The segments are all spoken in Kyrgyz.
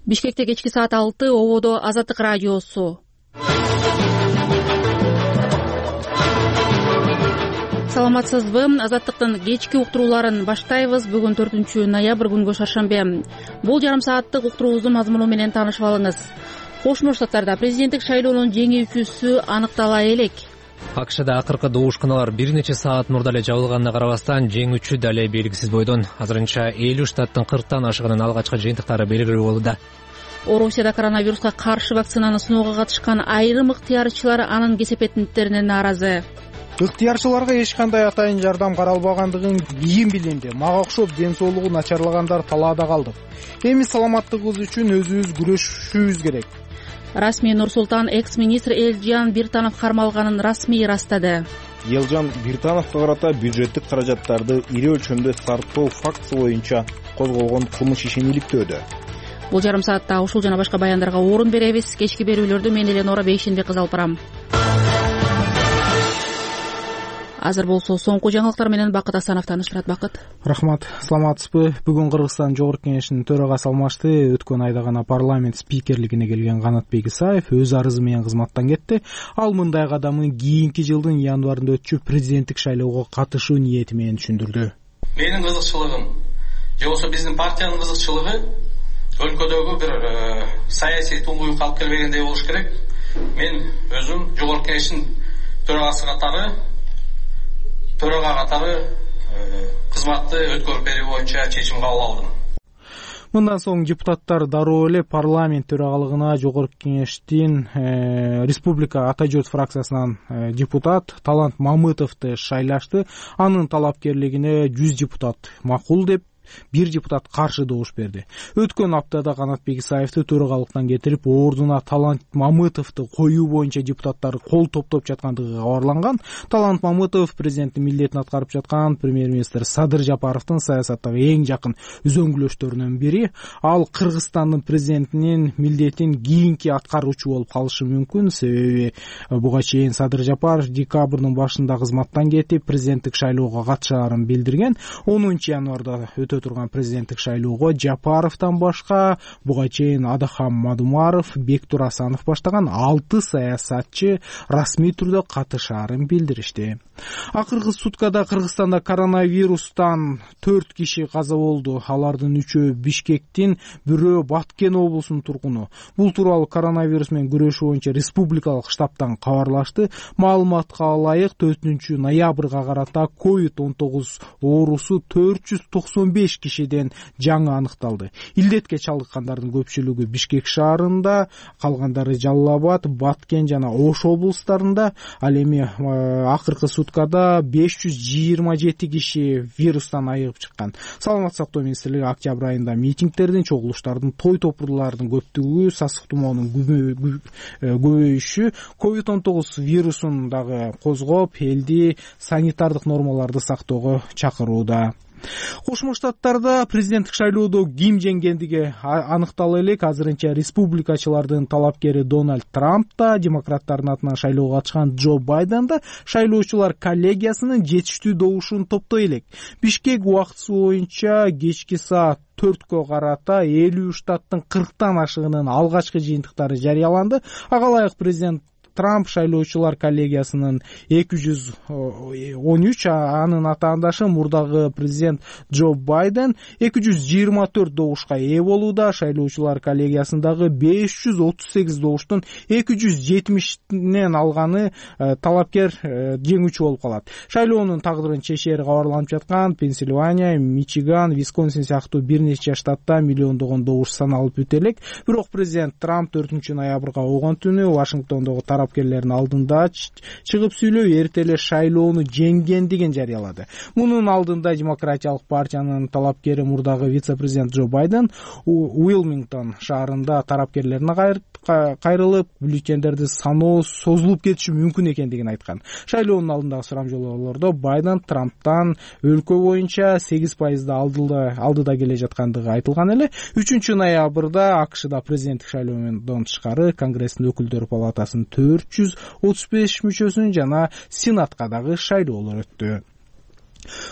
Бишкекте кечки саат 6, ободо Азаттык радиосу. Саламатсызбы? Азаттыктын кечки уктурууларын баштайбыз. Бүгүн 4 ноябрь күнгө шаршембе. Бул жарым сааттык уктуруубуздун мазмуну менен таанышып алыңыз. Кошмо Штаттарда президенттик шайлоонун жеңүүчүсү аныктала элек. АКШда акыркы добушканалар бир нече саат мурда эле жабылганына карабастан жеңүүчү дале белгисиз бойдон. Азырынча 50 штаттын 40тан ашыгынын алгачкы жыйынтыктары белгилүү болууда. Орусияда коронавируска каршы вакцинаны сыноого катышкан айрым ыктыярчылар анын кесепеттерине нааразы. Ыктыярчыларга эч кандай атайын жардам каралбагандыгын кийин билинди. Мага окшоп ден соолугу начарлагандар талаада калды. Эми саламаттыгыбыз үчүн өзүбүз күрөшүшүбүз керек. Расмий Нур-Султан экс-министр Элжан Биртанов кармалганын расмий ырастады. Элжан Биртановго карата бюджеттик каражаттарды ири өлчөмдө сарптоо фактысы боюнча козголгон кылмыш ишин иликтөөдө. Бул жарым саатта ушул жана башка баяндарга орун беребиз. Кечки берүүлөрдү мен Эленора Бейшенбек кызы алып барам. Азыр болсо соңку жаңылыктар менен Бакыт Асанов тааныштырат. Бакыт. Рахмат. Саламатсызбы? Бүгүн Кыргызстан Жогорку Кеңешинин төрагасы алмашты. Өткөн айда гана парламент спикерлигине келген Канатбек Исаев өз арызы менен кызматтан кетти. Ал мындай кадамын кийинки жылдын январында өтчү президенттик шайлоого катышуу ниети менен түшүндүрдү. Менин кызыкчылыгым же болбосо биздин партиянын кызыкчылыгы өлкөдөгү бир саясий туңгуюк алып келбегендей болуш керек. Мен өзүм Жогорку Кеңештин төрага катары кызматты өткөрүп берүү боюнча чечим кабыл алдым. Мындан соң депутаттар дароо эле парламент төрагалыгына Жогорку Кеңештин Республика Ата журт фракциясынан депутат Талант Мамытовду шайлашты. Анын талапкерлигине 100 депутат макул деп, 1 депутат каршы добуш берди. Өткөн аптада Канатбек Исаевди төрагалыктан кетирип, ордуна Талант Мамытовду коюу боюнча депутаттар кол топтоп жаткандыгы кабарланган. Талант Мамытов президенттин милдетин аткарып жаткан премьер-министр Садыр Жапаровдун саясаттагы эң жакын үзөңгүлөштөрүнөн бири. Ал Кыргызстандын президентинин милдетин кийинки аткаруучу болуп калышы мүмкүн. Себеби буга чейин Садыр Жапаров декабрдын башында кызматтан кетип, президенттик шайлоого катышаарын билдирген. 10 январда турган президенттик шайлоого Жапаровдон башка буга чейин Адахам Мадумаров, Бектур Асанов баштаган 6 саясатчы расмий түрдө катышаарын билдиришти. Акыркы суткада Кыргызстанда коронавирустан 4 киши каза болду. Алардын 3-өө Бишкектин, бирөө Баткен облусунун тургуну. Бул тууралуу коронавирус менен күрөшүү боюнча республикалык штабтан кабарлашты. Маалыматка ылайык 4 ноябрга карата COVID-19 оорусу 495 кишиден жаңы аныкталды. Илдетке чалдыккандардын көпчүлүгү Бишкек шаарында, калгандары Жалал Абад, Баткен жана Ош облустарында. Ал эми акыркы суткада 527 киши вирустан айыгып чыккан. Саламаттык сактоо министрлиги октябрь айында митингдердин, чогулуштардын, той топурлардын көптүгү, сасык тумоонун көбөйүшү COVID-19 вирусун дагы козгоп, элди санитардык нормаларды сактоого чакырууда. Кошмо Штаттарда президенттик шайлоодо ким жеңгендиги аныктала элек. Азырынча республикачылардын талапкери Дональд Трамп да, демократтардын атынан шайлоого катышкан Джо Байден да шайлоочулар коллегиясынын жетиштүү добушун топтой элек. Бишкек убактысы боюнча кечки саат 4-кө карата 50 штаттын 40тан ашыгынын алгачкы жыйынтыктары жарыяланды. Ага ылайык президент Трамп шайлоочулар коллегиясынын 213, анын атаандашы мурдагы президент Джо Байден 224 добушка ээ болууда. Шайлоочулар коллегиясындагы 538 добуштун 270-нен алганы талапкер жеңүүчү болуп калат. Шайлоонун тагдырын чечери кабарланып жаткан Пенсильвания, Мичиган, Висконсин сыяктуу бир нече штатта миллиондогон добуш саналып өтө элек. Бирок президент Трамп 4 ноябрга болгон түнү Вашингтондогу тарапкерлердин алдында чыгып сүйлөп, эрте эле шайлоону жеңгендигин жарыялады. Мунун алдында Демократиялык партиянын талапкери мурдагы вице-президент Джо Байден Уилмингтон шаарында тарапкерлерине кайрылып, бюллетендерди саноо созулуп кетиши мүмкүн экендигин айткан. Шайлоонун алдындагы сурамжылоолордо Байден Трамптан өлкө боюнча 8% алдыда келе жаткандыгы айтылган эле. 3 ноябрда АКШда президенттик шайлоодон тышкары Конгресстин өкүлдөр палатасынын 435 мүчөсүн жана Сенатка дагы шайлоолор өттү.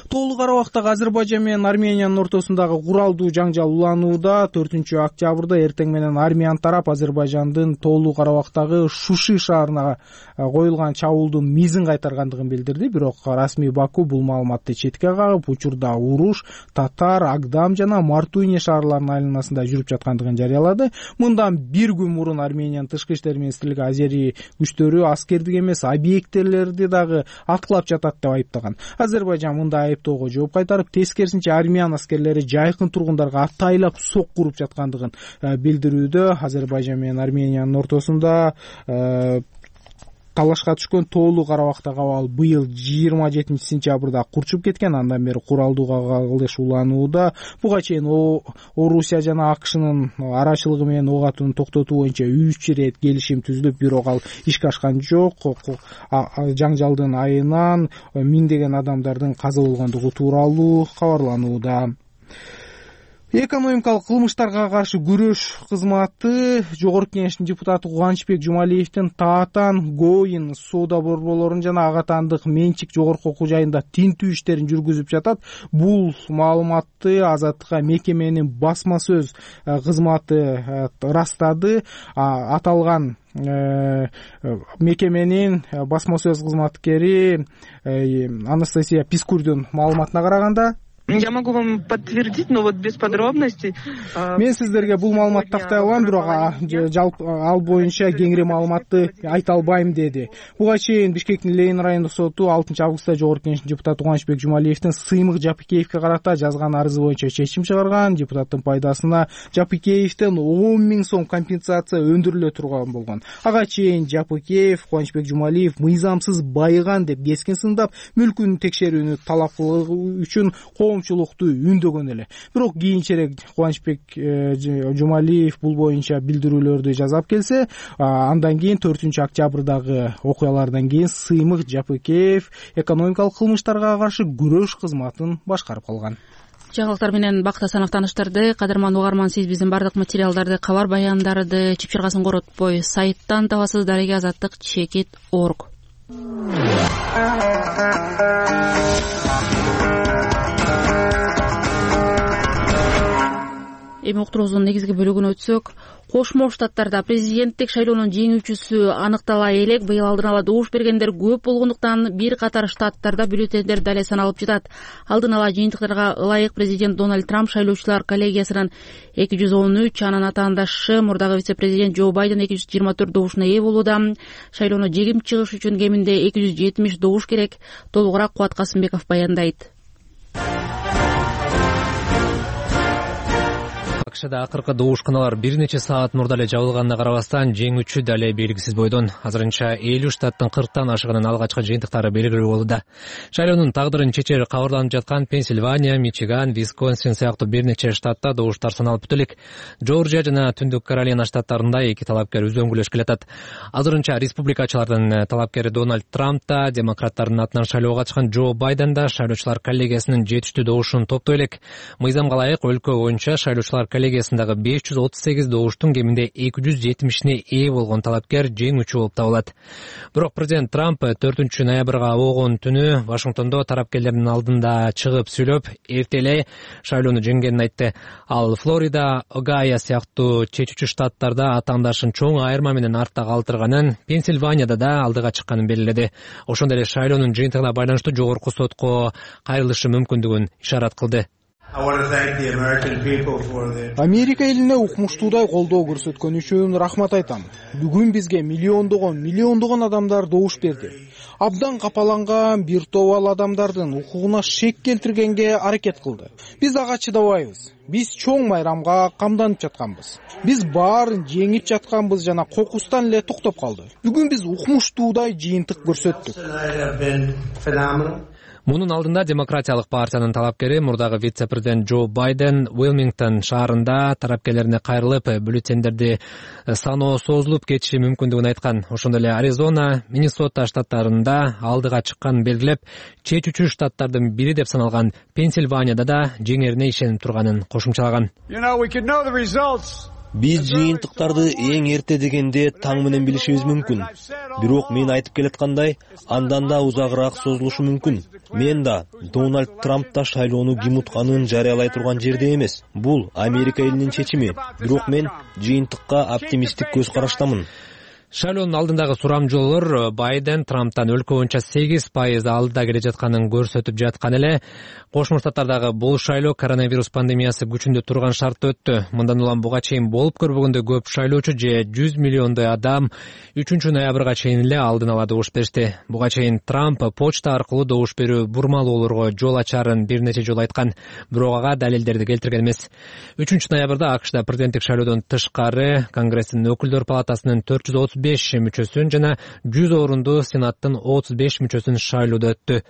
Тоолуу Карабактагы Азербайжан менен Армениянын ортосундагы куралдуу жаңжал уланууда. 4-октябрда эртең менен армян тарап Азербайжандын Тоолуу Карабактагы Шуши шаарына коюлган чабуулдун мизин кайтаргандыгын билдирди. Бирок расмий Баку бул маалыматты четке кагып, учурда уруш Татар, Агдам жана Мартуйне шаарларынын айланасында жүрүп жаткандыгын жарыялады. Мындан бир күн мурун Армениянын тышкы иштер министрлиги азери күчтөрү аскердик эмес объекттелерди дагы аткылап жатат деп айыптаган. Азербайжан мындай айыптоого жооп кайтарып, тескерисинче армян аскерлери жайкын тургундарга атайлап сок куруп жаткандыгын билдирүүдө. Азербайжан менен Армениянын ортосунда талашка түшкөн Тоолуу Карабактагы абал быйыл 27-сентябрда курчуп кеткен. Андан бери куралдуу кагылыш уланууда. Буга чейин Орусия жана АКШнын арачылыгы менен ок атууну токтотуу боюнча 3 ирет келишим түзүлүп, бирок ал ишке ашкан жок. Жаңжалдын айынан миңдеген адамдардын каза болгондугу тууралуу кабарланууда. Экономикалык кылмыштарга каршы күрөш кызматы Жогорку Кеңештин депутаты Кубанычбек Жумалиевдин таатан Гоин соода борборлорун жана ага таандык менчик жогорку окуу жайында тинтүү иштерин жүргүзүп жатат. Бул маалыматты Азаттыкка мекеменин басма сөз кызматы ырастады. Аталган мекеменин басма сөз кызматкери Анастасия Пискурдун маалыматына караганда, я могу вам подтвердить, но вот без подробностей. Мен сиздерге бул маалыматты тактай алам, бирок ал боюнча кеңири маалыматты айта албайм деди. Буга чейин Бишкектин Ленин райондук соту 6-августта Жогорку Кеңештин депутаты Кубанычбек Жумалиевдин Сыймык Жапыкеевге карата жазган арызы боюнча чечим чыгарган. Депутаттын пайдасына Жапыкеевден 10 000 сом компенсация өндүрүлө турган болгон. Ага чейин Жапыкеев Кубанычбек Жумалиев мыйзамсыз байыган деп кескин сындап, мүлкүн текшерүүнү талап кылуу үчүн коомчулукту үндөгөн эле. Бирок кийинчерээк Кубанычбек Жумалиев бул боюнча билдирүүлөрдү жасап келсе, андан кийин 4-октябрдагы окуялардан кийин Сыймык Жапыкеев экономикалык кылмыштарга каршы күрөш кызматын башкарып калган. Жаңылыктар менен Бакыт Асанов тааныштырды. Кадырман угарман, сиз биздин бардык материалдарды, кабар баяндарды чыпчыргасын коротпой сайттан табасыз. Дареге азаттык /org. Эми уктуруубуздун негизги бөлүгүнө өтсөк, Кошмо Штаттарда президенттик шайлоонун жеңүүчүсү аныктала элек. Быйыл алдын ала добуш бергендер көп болгондуктан бир катар штаттарда бюллетендер дале саналып жатат. Алдын ала жыйынтыктарга ылайык президент Дональд Трамп шайлоочулар коллегиясынын 213, анан атаандашы мурдагы вице-президент Джо Байден 224 добушуна ээ болууда. Шайлоону жеңип чыгыш үчүн кеминде 270 добуш керек. Толугураак Кубат Касымбеков баяндайт. АКШда акыркы добушканалар бир нече саат мурда эле жабылганына карабастан жеңүүчү дале белгисиз бойдон. Азырынча 50 штаттын 40тан ашыгынын алгачкы жыйынтыктары белгилүү болууда. Шайлоонун тагдырын чечери кабарланып жаткан Пенсильвания, Мичиган, Висконсин сыяктуу бир нече штатта добуштар саналып бүтө элек. Жоржия жана Түндүк Каролина штаттарында эки талапкер үзөңгүлөшкө жатат. Азырынча республикачылардын талапкери Дональд Трамп да, демократтардын атынан шайлоого чыккан Джо Байден да шайлоочулар коллегиясынын жетиштүү добушун топтой элек. Мыйзамга ылайык өлкө боюнча шайлоочулар коллегиясындагы 538 добуштун кеминде 270-ине ээ болгон талапкер жеңүүчү болуп табылат. Бирок президент Трамп 4-ноябрга обогон түнү Вашингтондо тарапкерлердин алдында чыгып сүйлөп, эртелей шайлоону жеңгенин айтты. Ал Флорида, Огайо сыяктуу чечүүчү штаттарда атаандашын чоң айырма менен артта калтырганын, Пенсильванияда да алдыга чыкканын белгиледи. Ошондой эле шайлоонун жыйынтыгына байланыштуу жогорку сотко кайрылышы мүмкүндүгүн ишарат кылды. Америка элине укмуштуудай колдоо көрсөткөнү үчүн рахмат айтам. Бүгүн бизге миллиондогон адамдар добуш берди. Абдан капаланган бир топ адамдардын укугуна шек келтиргенге аракет кылды. Биз ага чыдабайбыз. Биз чоң майрамга камданып жатканбыз. Биз баарын жеңип жатканбыз жана кокустан эле токтоп калды. Бүгүн биз укмуштуудай жыйынтык көрсөттүк. Мунун алдында демократиялык партиянын талапкери мурдагы вице-президент Джо Байден Уилмингтон шаарында тарапкерлерине кайрылып, бюллетендерди саноо созулуп кетиши мүмкүндүгүн айткан. Ошондой эле Аризона, Миннесота штаттарында алдыга чыкканын белгилеп, чечүүчү штаттардын бири деп саналган Пенсильванияда да жеңерине ишенип турганын кошумчалаган. Биз жыйынтыктарды эң эрте дегенде таң менен билишибиз мүмкүн. Бирок мен айтып келаткандай, андан да узагыраак созулушу мүмкүн. Мен да Дональд Трамп да шайлоону ким утканын жарыялай турган жерде эмес. Бул Америка элинин чечими. Бирок мен жыйынтыкка оптимисттик көз караштамын. Шайлоонун алдындагы сурамжоолор Байден Трамптан өлкө боюнча 8% алдыда келе жатканын көрсөтүп жаткан эле. Кошмо Штаттардагы бул шайлоо коронавирус пандемиясы күчүндө турган шартта өттү. Мындан улам буга чейин болуп көрбөгөндөй көп шайлоочу же 100 миллиондой адам 3 ноябрга чейин эле алдын ала добуш беришти. Буга чейин Трамп почта аркылуу добуш берүү бурмалоолорго жол ачарын бир нече жолу айткан, бирок ага далилдерди келтирген эмес. 3 ноябрда АКШда президенттик шайлоодон тышкары Конгресстин өкүлдөр палатасынын 435 мүчөсүн жана 100 орунду Сенаттын 35 мүчөсүн шайлоодо өттү.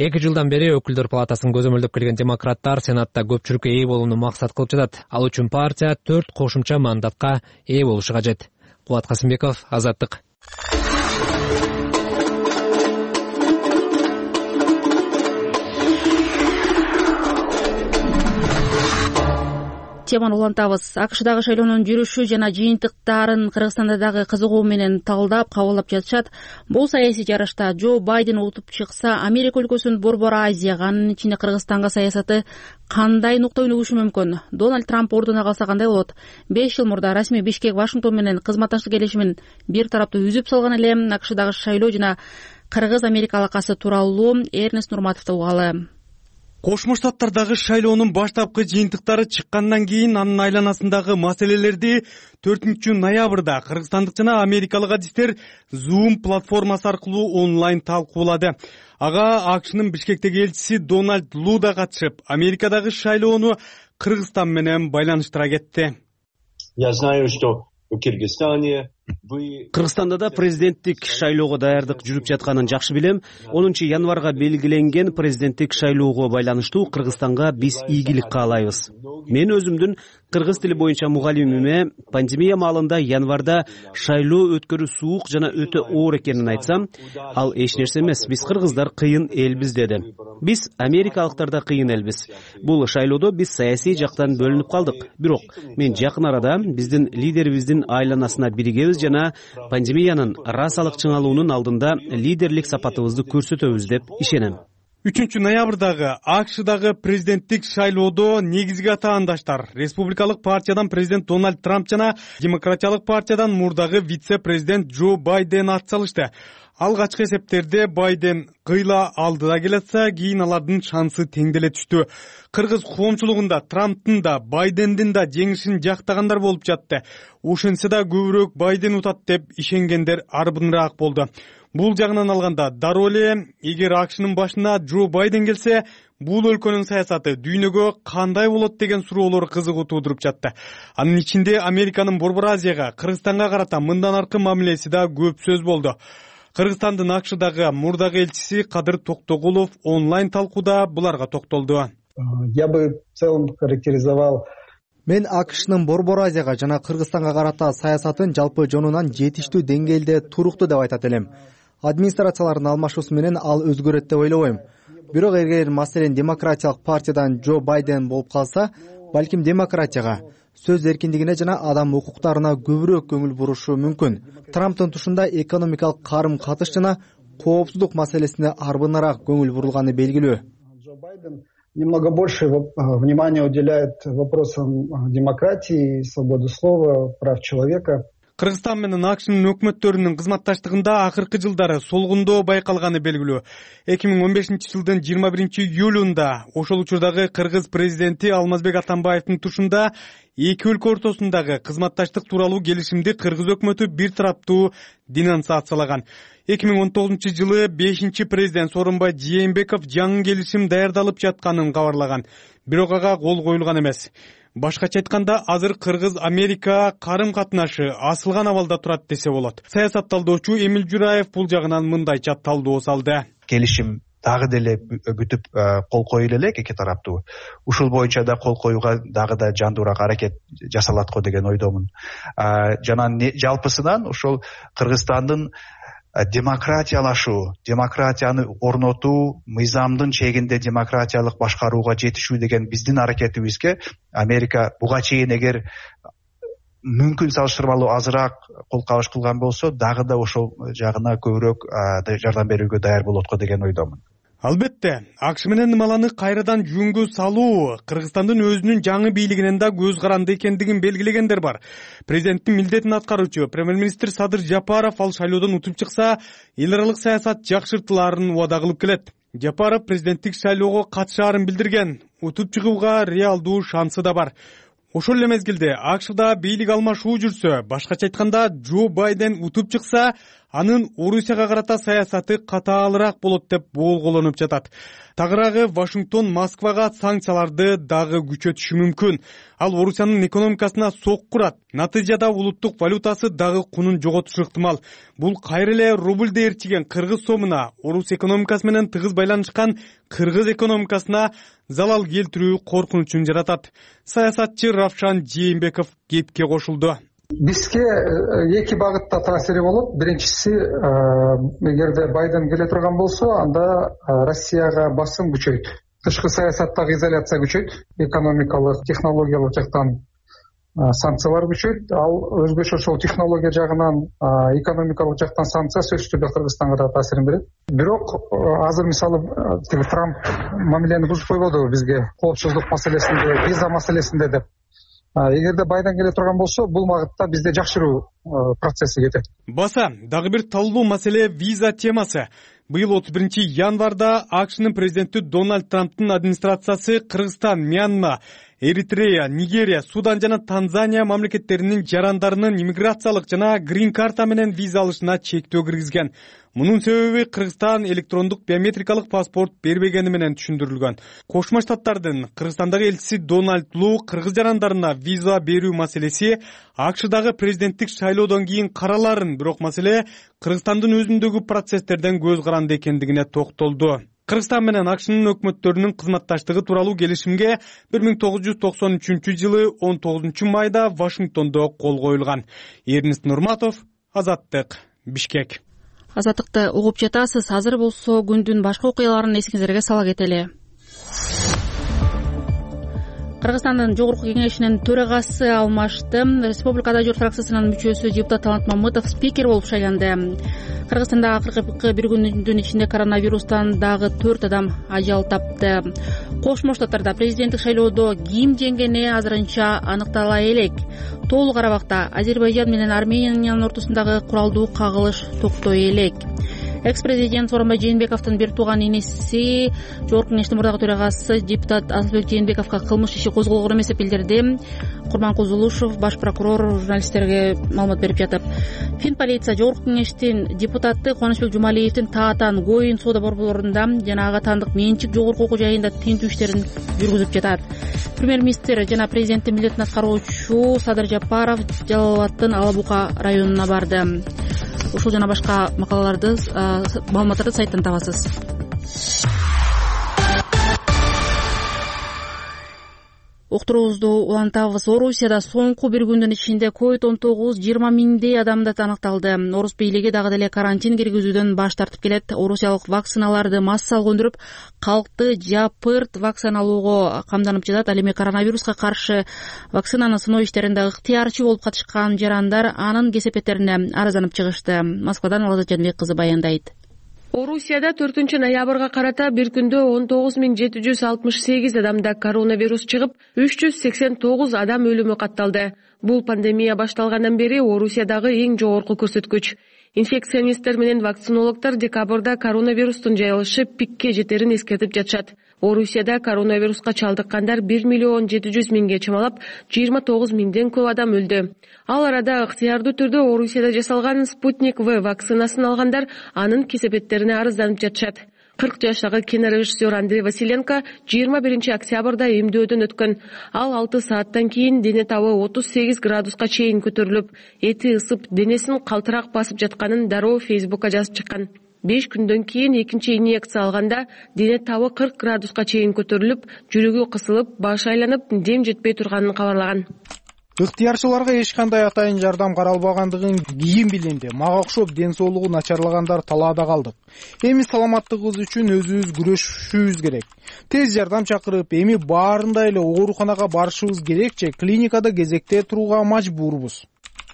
2 жылдан бери өкүлдөр палатасын көзөмөлдөп келген демократтар Сенатта көпчүлүккө ээ болууну максат кылып жатат. Ал үчүн партия 4 кошумча мандатка ээ болушу кажет. Кубат Касымбеков, Азаттык. Теманы улантабыз. АКШдагы шайлоонун жүрүшү жана жыйынтыктарын Кыргызстанда дагы кызыгуу менен талдап, кабылдап жатышат. Бул саясий жарышта Джо Байден утуп чыкса, Америка өлкөсүнүн Борбор Азияга, анын ичинде Кыргызстанга саясаты кандай нукта өнүгүшү мүмкүн? Дональд Трамп ордуна калса кандай болот? 5 жыл мурда расмий Бишкек Вашингтон менен кызматташтык келишимин бир тараптуу үзүп салган эле. АКШдагы шайлоо жана Кыргыз-Америка алакасы тууралуу Эрнест Нурматовду угалы. Кошмо Штаттардагы шайлоонун баштапкы жыйынтыктары чыккандан кийин анын айланасындагы маселелерди 4 ноябрда кыргызстандык жана америкалык адистер Zoom платформасы аркылуу онлайн талкуулады. Ага АКШнын Бишкектеги элчиси Дональд Лу да катышып, Америкадагы шайлоону Кыргызстан менен байланыштыра кетти. Я знаю, что в Кыргызстане Кыргызстанда да президенттик шайлоого даярдык жүрүп жатканын жакшы билем. 10 январга белгиленген президенттик шайлоого байланыштуу Кыргызстанга биз ийгилик каалайбыз. Мен өзүмдүн кыргыз тили боюнча мугалимиме пандемия маалында январда шайлоо өткөрүү суук жана өтө оор экенин айтсам, ал эч нерсе эмес, биз кыргыздар кыйын элбиз деди. Биз америкалыктар да кыйын элбиз. Бул шайлоодо биз саясий жактан бөлүнүп калдык. Бирок мен жакын арада биздин лидерибиздин айланасына биригебиз жана пандемиянын расалык чыңалуунун алдында лидерлик сапатыбызды көрсөтөбүз деп ишенем. 3 ноябрдагы АКШдагы президенттик шайлоодо негизги атаандаштар республикалык партиядан президент Дональд Трамп жана демократиялык партиядан мурдагы вице-президент Джо Байден ат салышты. Алгачкы эсептерде Байден кыйла алдыда келатса, кийин алардын шансы теңделе түштү. Кыргыз коомчулугунда Трамптын да Байдендин да жеңишин жактагандар болуп жатты. Ошентсе да көбүрөөк Байден утат деп ишенгендер арбыныраак болду. Бул жагынан алганда дароо эле эгер АКШнын башына Джо Байден келсе, бул өлкөнүн саясаты дүйнөгө кандай болот деген суроолор кызыгуу туудуруп жатты. Анын ичинде Американын Борбор Азияга, Кыргызстанга карата мындан аркы мамилеси да көп сөз болду. Кыргызстандын АКШдагы мурдагы элчиси Кадыр Токтогулов онлайн талкууда буларга токтолду. Я бы в целом характеризовал Мен АКШнын Борбор Азияга жана Кыргызстанга карата саясатын жалпы жонунан жетиштүү деңгээлде туруктуу деп айтат элем. Администрациялардын алмашуусу менен ал өзгөрөт деп ойлобойм. Бирок эгер маселен демократиялык партиядан Джо Байден болуп калса, балким демократияга, сөз эркиндигине жана адам укуктарына көбүрөөк көңүл бурушу мүмкүн. Трамптын тушунда экономикалык карым-катыш жана коопсуздук маселесине арбыныраак көңүл бурулганы белгилүү. Джо Байден немного больше внимания уделяет вопросам демократии, свободы слова, прав человека. Кыргызстан менен АКШнын өкмөттөрүнүн кызматташтыгында акыркы жылдары солгундоо байкалганы белгилүү. 2015-жылдын 21-июлунда ошол учурдагы кыргыз президенти Алмазбек Атамбаевдин тушунда эки өлкө ортосундагы кызматташтык тууралуу келишимди кыргыз өкмөтү бир тараптуу денонсациялаган. 2019-жылы 5-президент Сооронбай Жээнбеков жаңы келишим даярдалып жатканын кабарлаган. Бирок ага кол коюлган эмес. Башкача айтканда, азыр Кыргыз-Америка карым-катнашы асылган абалда турат десе болот. Саясат талдоочу Эмил Жураев бул жагынан мындайча талдоо салды. Келишим дагы деле бүтүп кол коюлу элек эки тараптуу. Ушул боюнча да кол коюуга дагы да жандуураак аракет жасалат го деген ойдомун. Жана жалпысынан ошол Кыргызстандын демократиялашуу, демократияны орнотуу, мыйзамдын чегинде демократиялык башкарууга жетишүү деген биздин аракетибизге Америка буга чейин эгер мүмкүн салыштырмалуу азыраак кол кабыш кылган болсо, дагы да ошол жагына көбүрөөк жардам берүүгө даяр болот го деген ойдомун. Албетте, АКШ менен ымаланы кайрадан жөнгө салуу Кыргызстандын өзүнүн жаңы бийлигинен да көз каранды экендигин белгилегендер бар. Президенттин милдетин аткаруучу премьер-министр Садыр Жапаров ал шайлоодон утуп чыкса, эл аралык саясат жакшыртылаарын убада кылып келет. Жапаров президенттик шайлоого катышаарын билдирген, утуп чыгууга реалдуу шансы да бар. Ошол эле мезгилде АКШда бийлик алмашуу жүрсө, башкача айтканда Джо Байден утуп чыкса, анын Орусияга карата саясаты катаалыраак болот деп боолголонуп жатат. Тагыраагы Вашингтон Москвага санкцияларды дагы күчөтүшү мүмкүн. Ал Орусиянын экономикасына сок курат. Натыйжада улуттук валютасы дагы кунун жоготушу ыктымал. Бул кайра эле рубльде ээрчиген кыргыз сомуна, Орус экономикасы менен тыгыз байланышкан кыргыз экономикасына залал келтирүү коркунучун жаратат. Саясатчы Равшан Жээнбеков кепке кошулду. Бизге эки багытта таасири болот. Биринчиси, эгерде Байден келе турган болсо, анда Россияга басым күчөйт. Тышкы саясаттагы изоляция күчөйт, экономикалык, технологиялык жактан санкциялар күчөйт. Ал өзгөчө ошол технология жагынан, экономикалык жактан санкция сөзсүз түрдө Кыргызстанга да таасирин берет. Бирок азыр мисалы Трамп мамилени бузуп койбодубу бизге коопсуздук маселесинде, виза маселесинде деп. Эгерде Байден келе турган болсо, бул багытта бизде жакшыруу процесси кетет. Баса, дагы бир талдуу маселе виза темасы. Быйыл 31 январда АКШнын президенти Дональд Трамптын администрациясы Кыргызстан, Мьянма, Эритрея, Нигерия, Судан жана Танзания мамлекеттеринин жарандарынын иммиграциялык жана грин карта менен виза алышына чектөө киргизген. Мунун себеби Кыргызстан электрондук биометрикалык паспорт бербегени менен түшүндүрүлгөн. Кошмо Штаттардын Кыргызстандагы элчиси Дональд Лу кыргыз жарандарына виза берүү маселеси АКШдагы президенттик шайлоодон кийин караларын, бирок маселе Кыргызстандын өзүндөгү процесстерден көз каранды экендигине токтолду. Кыргызстан менен АКШнын өкмөттөрүнүн кызматташтыгы тууралуу келишимге 1993 жылы 19 майда Вашингтондо кол коюлган. Эрнест Нурматов, Азаттык, Бишкек. Азаттыкты угуп жатасыз. Азыр болсо күндүн башка окуяларын эсиңиздерге сала кетели. Кыргызстандын жогорку кеңешинин төрагасы алмашты. Республикада журт фракциясынын мүчөсү депутат Талант Мамытов спикер болуп шайланды. Кыргызстанда акыркы бир күндүн ичинде коронавирустан дагы 4 адам ажал тапты. Кошмо Штаттарда президенттик шайлоодо ким жеңгени азырынча аныктала элек. Толук Карабакта Азербайжан менен Армениянын ортосундагы куралдуу кагылыш токтой элек. Экс-президент Сооронбай Жээнбековдун бир тууган инеси жогорку кеңештин мурдагы төрагасы депутат Азатбек Жээнбековго кылмыш иши козголгон эмес деп билдирди. Курманкул Зулушев, баш прокурор, журналисттерге маалымат берип жатып. Фин полиция жогорку кеңештин депутаты Кубанычбек Жумалиевдин таатан Гоин соода борборунда жана ага таандык менчик жогорку окуу жайында тинтүү иштерин жүргүзүп жатат. Премьер-министр жана президенттин милдетин аткаруучу Садыр Жапаров Жалал Абадтын Ала Бука районуна барды. Ушул жана башка макалаларды, маалыматтарды сайттан табасыз. Уктуруубузду улантабыз. Орусияда соңку бир күндүн ичинде COVID-19 20 миңдей адамда аныкталды. Орус бийлиги дагы деле карантин киргизүүдөн баш тартып келет. Орусиялык вакциналарды массалык өндүрүп, калкты жапырт вакциналоого камданып жатат. Ал эми коронавируска каршы вакцинаны сыноо иштеринде ыктыярчы болуп катышкан жарандар анын кесепеттерине арызданып чыгышты. Москвадан Алазат Жанбек кызы баяндайт. Орусияда 4 ноябрга карата бир күндө 19768 адамда коронавирус чыгып, 389 адам өлүмү катталды. Бул пандемия башталгандан бери Орусиядагы эң жогорку көрсөткүч. Инфекционисттер менен вакцинологдор декабрда коронавирустун жайылышы пикке жетерин эскертип жатышат. Орусияда коронавируска чалдыккандар 1 миллион 700 миңге чамалап, 29 миңден көп адам өлдү. Ал арада ыктыярдуу түрдө Орусияда жасалган Спутник В вакцинасын алгандар анын кесепеттерине арызданып жатышат. 40 жаштагы кинорежиссер Андрей Василенко 21 октябрда эмдөөдөн өткөн. Ал 6 сааттан кийин дене табы 38 градуска чейин көтөрүлүп, эти ысып, денесин калтырак басып жатканын дароо Фейсбукка жазып чыккан. 5 күндөн кийин экинчи инъекция алганда дене табы 40 градуска чейин көтөрүлүп, жүрөгү кысылып, башы айланып, дем жетпей турганын кабарлаган. Ыктыярчыларга эч кандай атайын жардам каралбагандыгын кийин билинди. Мага окшоп ден соолугу начарлагандар талаада калдык. Эми саламаттыгыбыз үчүн өзүбүз күрөшүшүбүз керек. Тез жардам чакырып, эми баарында эле ооруканага барышыбыз керек же клиникада кезекте турууга мажбурбуз,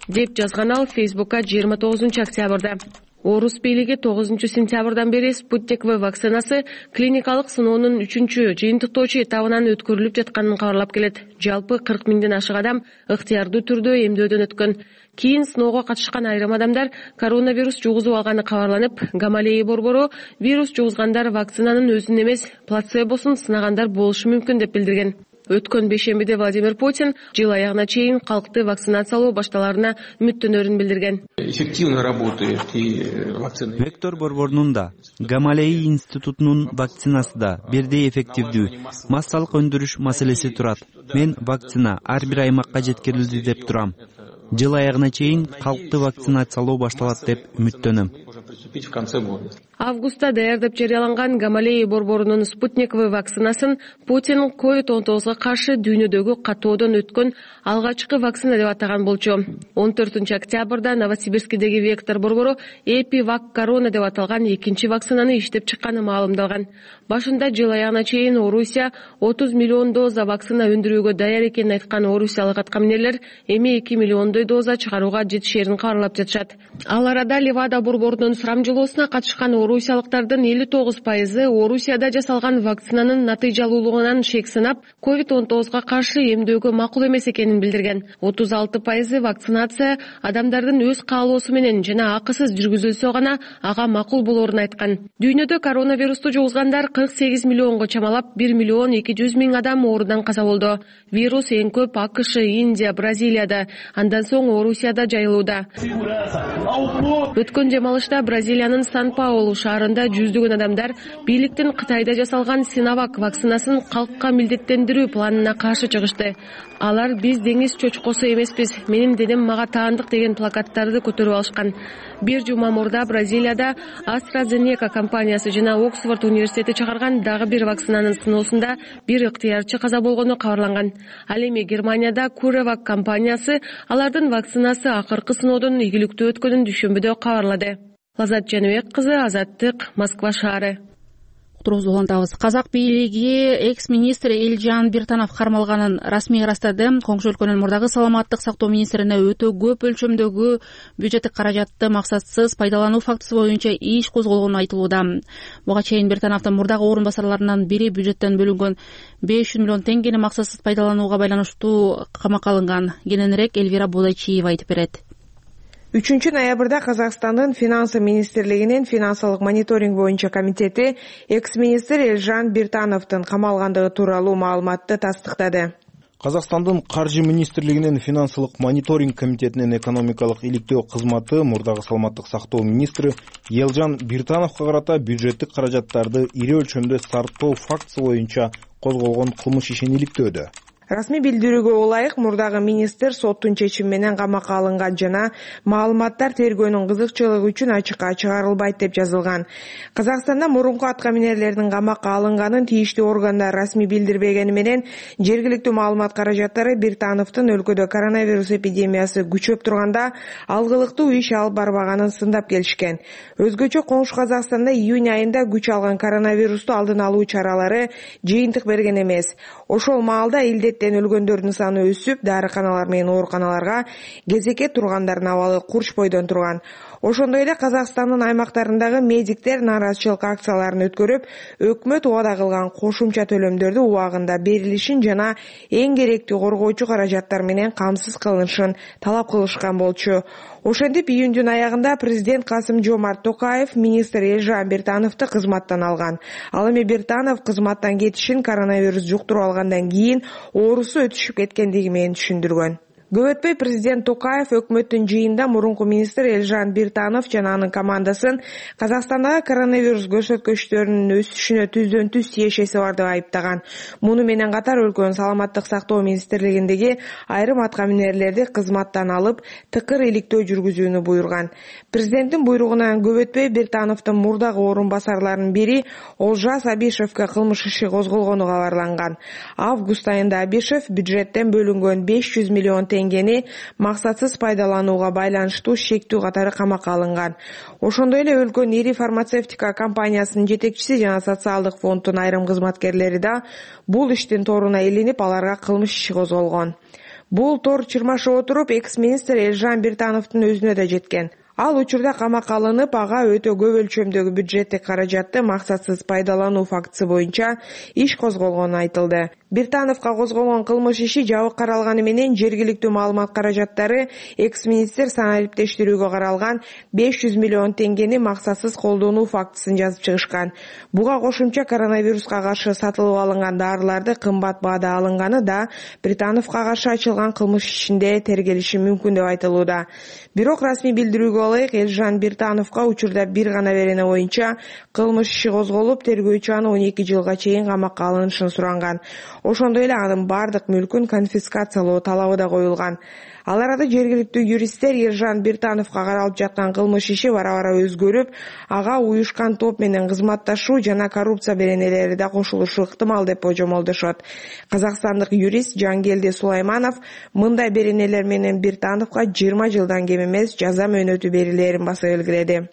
деп жазган ал Фейсбукка 29 октябрда. Орус бийлиги 9-сентябрдан бери Спутник В вакцинасы клиникалык сыноонун 3-жыйынтыктоочу этабынан өткөрүлүп жатканын кабарлап келет. Жалпы 40 миңден ашык адам ыктыярдуу түрдө эмдөөдөн өткөн. Кийин сыноого катышкан айрым адамдар коронавирус жугузуп алганы кабарланып, Гамалеи борбору вирус жугузгандар вакцинанын өзүн эмес, плацебосун сынагандар болушу мүмкүн деп билдирген. Өткөн бейшембиде Владимир Путин жыл аягына чейин калкты вакцинациялоо башталарына үмүттөнөрүн билдирген. Эффективно работает и вакцина. Вектор борборунун да, Гамалеи институтунун вакцинасы да бирдей эффективдүү. Массалык өндүрүш маселеси турат. Мен вакцина ар бир аймакка жеткирилди деп турам. Жыл аягына чейин калкты вакцинациялоо башталат деп үмүттөнөм. Августта даярдап жарыяланган Гамалеи борборунун Спутник В вакцинасын Путин COVID-19 каршы дүйнөдөгү катоодон өткөн алгачкы вакцина деп атаган болчу. 14-октябрда Новосибирскидеги Вектор борбору Эпивак Корона деп аталган экинчи вакцинаны иштеп чыкканы маалымдалган. Башында жыл аягына чейин Орусия 30 миллион доза вакцина өндүрүүгө даяр экенин айткан орусиялык аткаминерлер эми 2 миллиондой доза чыгарууга жетишерин кабарлап жатышат. Ал арада Левада борборунун сурамжылоосуна катышкан орусиялыктардын 59% Орусияда жасалган вакцинанын натыйжалуулугунан шек сынап, COVID-19 каршы эмдөөгө макул эмес экенин билдирген. 36% вакцинация адамдардын өз каалоосу менен жана акысыз жүргүзүлсө гана ага макул болоорун айткан. Дүйнөдө коронавирусту жугузгандар 48 миллионго чамалап, 1 миллион 200 миң адам оорудан каза болду. Вирус эң көп АКШ, Индия, Бразилияда, андан соң Орусияда жайылууда. Өткөн жамалышта Бразилиянын Сан-Паулу шаарында жүздөгөн адамдар бийликтин Кытайда жасалган Синовак вакцинасын калкка милдеттендирүү планына каршы чыгышты. Алар биз деңиз чочкосу эмеспиз, менин денем мага таандык деген плакаттарды көтөрүп алышкан. Бир жума мурда Бразилияда AstraZeneca компаниясы жана Оксфорд университети чыгарган дагы бир вакцинанын сыноосунда бир ыктыярчы каза болгону кабарланган. Ал эми Германияда CureVac компаниясы алардын вакцинасы акыркы сыноодон ийгиликтүү өткөнүн дүйшөмбүдө кабарлады. Лазат Жаныбек кызы, Азаттык, Москва шаары. Уктуруубузду улантабыз. Казак бийлиги экс-министр Элжан Биртанов кармалганын расмий ырастады. Коңшу өлкөнүн мурдагы саламаттык сактоо министрине өтө көп өлчөмдөгү бюджеттик каражатты максатсыз пайдалануу фактысы боюнча иш козголгону айтылууда. Буга чейин Биртановдун мурдагы орун басарларынан бири бюджеттен бөлүнгөн 500 миллион теңгени максатсыз пайдаланууга байланыштуу камакка алынган. Кененирээк Элвира Бодайчиева айтып берет. 3-ноябрда Казакстандын финансы министрлигинин финансылык мониторинг боюнча комитети экс-министр Элжан Биртановдун камалгандыгы тууралуу маалыматты тастыктады. Казакстандын каржы министрлигинин финансылык мониторинг комитетинин экономикалык иликтөө кызматы мурдагы саламаттык сактоо министри Элжан Биртановго карата бюджеттик каражаттарды ири өлчөмдө сарптоо фактысы боюнча козголгон кылмыш ишин иликтөөдө. Расмий билдирүүгө ылайык мурдагы министр соттун чечими менен камакка алынган жана маалыматтар тергөөнүн кызыкчылыгы үчүн ачыкка чыгарылбайт деп жазылган. Казакстанда мурунку аткаминерлердин камакка алынганын тийиштүү органдар расмий билдирбегени менен жергиликтүү маалымат каражаттары Биртановдун өлкөдө коронавирус эпидемиясы күчөп турганда алгылыктуу иш алып барбаганын сындап келишкен. Өзгөчө коңшу Казакстанда июнь айында күч алган коронавирусту алдын алуу чаралары жыйынтык берген эмес. Ошол маалда өлгөндөрдүн саны өсүп, дарыканалар менен ооруканаларга кезекке тургандардын абалы курч бойдон турган. Ошондой эле Казакстандын аймактарындагы медиктер нааразычылык акцияларын өткөрүп, өкмөт убада кылган кошумча төлөмдөрдү убагында берилишин жана эң керектүү коргоочу каражаттар менен камсыз кылынышын талап кылышкан болчу. Ошентип июндун аягында президент Касым-Жомарт Токаев министр Элжан Биртановду кызматтан алган. Ал эми Биртанов кызматтан кетишин коронавирус жуктуруп алгандан кийин оорусу өтүшүп кеткендиги менен түшүндүргөн. Көп өтпөй президент Токаев өкмөттүн жыйынында мурунку министр Элжан Биртанов жана анын командасын Казакстандагы коронавирус көрсөткүчтөрүнүн өсүшүнө түздөн түз тиешеси бар деп айыптаган. Муну менен катар өлкөнүн саламаттык сактоо министрлигиндеги айрым аткаминерлерди кызматтан алып, тыкыр иликтөө жүргүзүүнү буйруган. Президенттин буйругунан көп өтпөй Биртановдун мурдагы орун басарларынын бири Олжас Абишевге кылмыш иши козголгону кабарланган. Август айында Абишев бюджеттен бөлүнгөн 500 миллион теңгени максатсыз пайдаланууга байланыштуу шектүү катары камакка алынган. Ошондой эле өлкөнүн ири фармацевтика компаниясынын жетекчиси жана социалдык фонддун айрым кызматкерлери да бул иштин торуна илинип, аларга кылмыш иши козголгон. Бул тор чырмашып отуруп, экс-министр Элжан Биртановдун өзүнө да жеткен. Ал учурда камакка алынып, ага өтө көп өлчөмдөгү бюджеттик каражатты максатсыз пайдалануу фактысы боюнча иш козголгону айтылды. Биртановго козголгон кылмыш иши жабык каралганы менен жергиликтүү маалымат каражаттары экс-министр санариптештирүүгө каралган 500 миллион теңгени максатсыз колдонуу фактысын жазып чыгышкан. Буга кошумча коронавируска каршы сатылып алынган дарыларды кымбат баада алынганы да Биртановго каршы ачылган кылмыш ишинде тергелиши мүмкүн деп айтылууда. Бирок расмий билдирүүгө ылайык Элжан Биртановго учурда бир гана берене боюнча кылмыш иши козголуп, тергөөчү аны 12 жылга чейин камакка алынышын суранган. Ошондой эле анын бардык мүлкүн конфискациялоо талабы да коюлган. Ал арада жергиликтүү юристтер Элжан Биртановго каралып жаткан кылмыш иши бара-бара өзгөрүп, ага уюшкан топ менен кызматташуу жана коррупция беренелери да кошулушу ыктымал деп божомолдошот. Казакстандык юрист Жангелди Сулайманов мындай беренелер менен Биртановго 20 жылдан кем эмес жаза мөөнөтү берилерин баса белгиледи.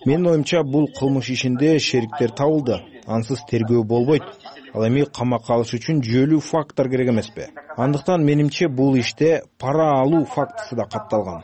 Менин оюмча, бул кылмыш ишинде шериктер табылды. Ансыз тергөө болбойт. Ал эми камакка алыш үчүн жүйөлүү факттар керек эмеспи? Андыктан менимче бул иште пара алуу фактысы да катталган,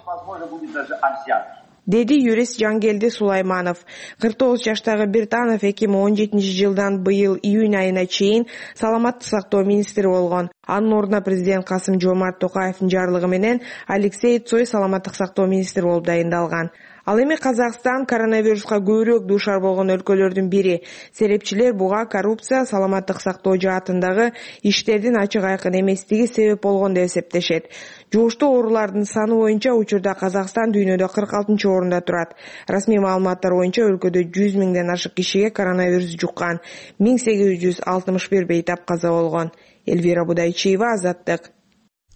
деди юрист Жангелди Сулайманов. 49 жаштагы Биртанов 2017 жылдан быйыл июнь айына чейин саламаттык сактоо министри болгон. Анын ордуна президент Касым-Жомарт Токаевдин жарлыгы менен Алексей Цой саламаттык сактоо министри болуп дайындалган. Ал эми Казакстан коронавируска көбүрөөк дуушар болгон өлкөлөрдүн бири. Серепчилер буга коррупция, саламаттык сактоо жаатындагы иштердин ачык айкын эместиги себеп болгон деп эсептешет. Жугуштуу оорулардын саны боюнча учурда Казакстан дүйнөдө 46-орунда турат. Расмий маалыматтар боюнча өлкөдө 100 миңден ашык кишиге коронавирус жуккан, 1861 бейтап каза болгон. Эльвира Будайчиева, Азаттык.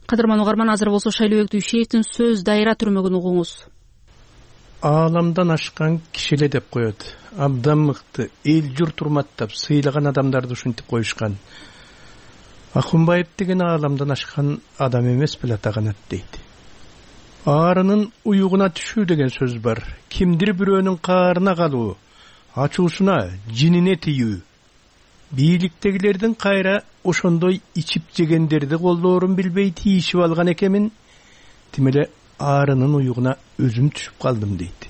Кадырман угарман, азыр болсо Шайлообек Дүйшеевдин сөз дайра түрмөгүн угуңуз. Ааламдан ашкан кишиле деп коет. Абдан мыкты, эл журт урматтап, сыйлаган адамдарды ушинтип коюшкан. Акунбаев деген ааламдан ашкан адам эмес беле атаганат дейт. Аарынын уюгуна түшүү деген сөз бар. Кимдир бирөөнүн каарына калуу, ачуусуна, жинине тийүү. Бийликтегилердин кайра ошондой ичип жегендерди колдоорун билбей тийишип алган экенмин. Тимеле аарынын уюгуна өзүм түшүп калдым дейт.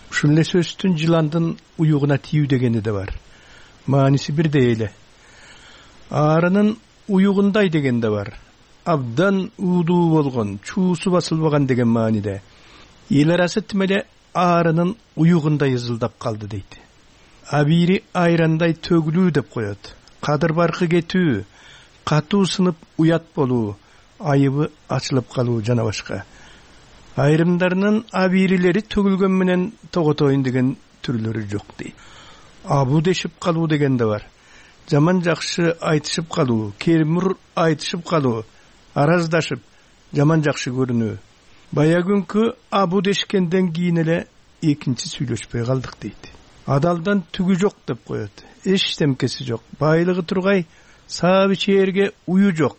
Ушул эле сөздүн жыландын уюгуна тийүү дегени да бар. Мааниси бирдей эле. Аарынын уюгундай деген да бар. Абдан уудуу болгон, чуусу басылбаган деген мааниде. Эл арасы тимеле аарынын уюгундай ызылдап калды дейт. Абири айрандай төгүлүү деп коет. Кадыр баркы кетүү, катуу сынып уят болуу, айыбы ачылып калуу жана башка. Айрымдарынын абирилери төгүлгөн менен тоготоюн деген түрлөрү жок дейт. Абу дешип калуу деген да бар. Жаман жакшы айтышып калуу, кермур айтышып калуу, араздашып, жаман жакшы көрүнүү. Бая күнкү абу дешкенден кийин эле экинчи сүйлөшпөй калдык дейт. Адалдан түгү жок деп коет. Эчтемкеси жок. Байлыгы тургай, сабы чээрге уyu жок.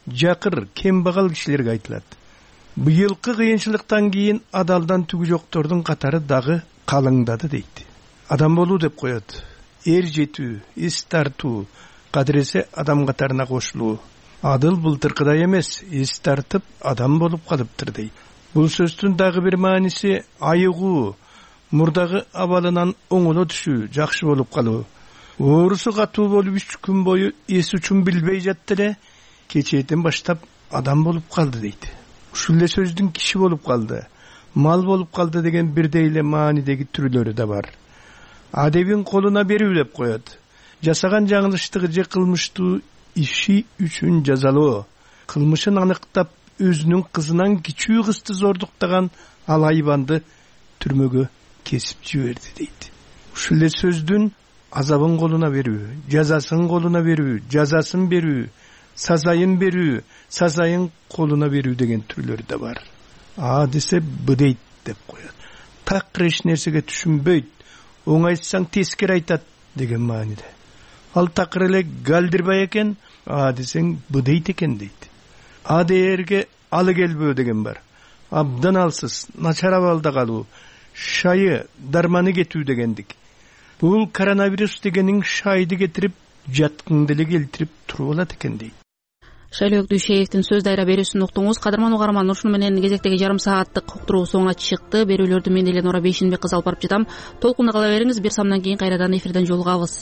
Жакыр, кембагал кишилерге айтылат. Быйылкы кыйынчылыктан кийин адалдан түгү жоктордун катары дагы калыңдады дейт. Адам болуу деп коет. Эр жетүү, эс тартуу, кадыресе адам катарына кошулуу. Адыл былтыркыдай эмес, эс тартып адам болуп калыптыр дейт. Бул сөздүн дагы бир мааниси айыгуу, мурдагы абалынан оңоло түшүү, жакшы болуп калуу. Оорусу катуу болуп 3 күн бою эс үчүн билбей жатты эле, кечээден баштап адам болуп калды дейт. Ушул эле сөздүн киши болуп калды, мал болуп калды деген бирдей эле маанидеги түрлөрү да бар. Адебин колуна берүү деп коет. Жасаган жаңылыштыгы же кылмыштуу иши үчүн жазалоо. Кылмышын аныктап, өзүнүн кызынан кичүү кызды зордуктаган ал айбанды түрмөгө кесип жиберди дейт. Ушул эле сөздүн азабын колуна берүү, жазасын колуна берүү, жазасын берүү, сазайын берүү, сазайын колуна берүү деген түрлөрү да бар. А десе б дейт деп коет. Такыр эч нерсеге түшүнбөйт, оңайтсаң тескери айтат деген мааниде. Ал такыр эле галдирбай экен, а десең б дейт экен дейт. А дээрге алы келбөө деген бар. Абдан алсыз, начар абалда калуу, шайы, дарманы кетүү дегендик. Бул коронавирус дегенин шайды кетирип, жаткыңды эле келтирип туруп алат экен дейт. Шайлообек Дүйшеевдин сөз дайра берүүсүн уктуңуз. Кадырман угарман, ушуну менен кезектеги жарым сааттык уктуруу соңуна чыкты. Берүүлөрдү мен эле Нора Бейшенбек кызы алып барып жатам. Толкунда кала бериңиз. Бир самдан кийин кайрадан эфирден жолугабыз.